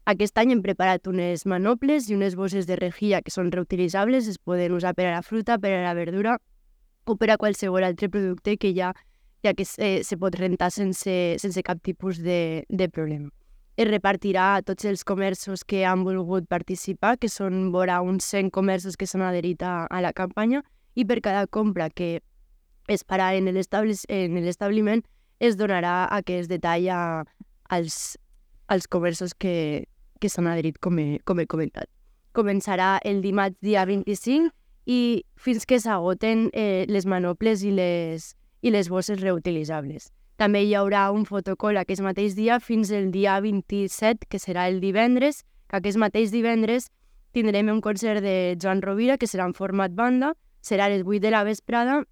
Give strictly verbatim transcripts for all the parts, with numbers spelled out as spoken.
Aquest any hem preparat unes manoples i unes bosses de rejilla que són reutilitzables, es poden usar per a la fruita, per a la verdura o per a qualsevol altre producte que ja, ja que se, se pot rentar sense, sense cap tipus de, de problema. Es repartirà a tots els comerços que han volgut participar, que són vora uns cent comerços que s'han adherit a, a la campanya, i per cada compra que es farà en l'establiment es donarà aquest detall a, als, als comerços que, que s'han adherit, com he, com he comentat. Començarà el dimarts dia vint-i-cinc i fins que s'agoten eh, les manoples i les, i les bosses reutilitzables. També hi haurà un fotocall aquest mateix dia fins el dia vint-i-set, que serà el divendres, que aquest mateix divendres tindrem un concert de Joan Rovira, que serà en format banda, serà a les vuit de la vesprada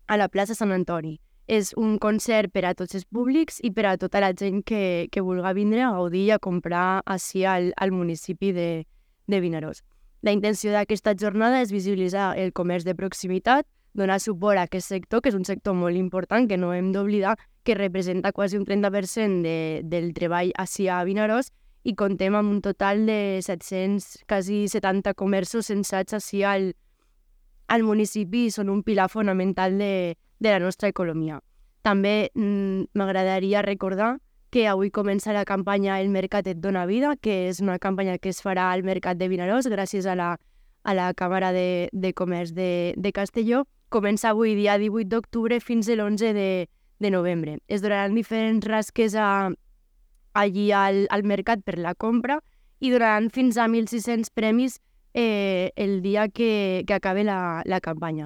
a la plaça Sant Antoni. És un concert per a tots els públics i per a tota la gent que, que vulgui vindre a gaudir i a comprar així al, al municipi de, de Vinaròs. La intenció d'aquesta jornada és visibilitzar el comerç de proximitat, donar suport a aquest sector, que és un sector molt important, que no hem d'oblidar, que representa quasi un trenta per cent de, del treball així a Vinaròs, i contem amb un total de set-cents, quasi setanta comerços censats així al, al municipi i són un pilar fonamental de, de la nostra economia. També mm, m'agradaria recordar que avui comença la campanya El Mercat et dona vida, que és una campanya que es farà al Mercat de Vinaròs gràcies a la, a la Càmera de, de Comerç de, de Castelló. Comença avui, dia divuit d'octubre, fins a l'onze de, de novembre. Es donaran diferents rasques a, allí al, al mercat per la compra i donaran fins a mil sis-cents premis eh, el dia que, que acabe la, la campanya.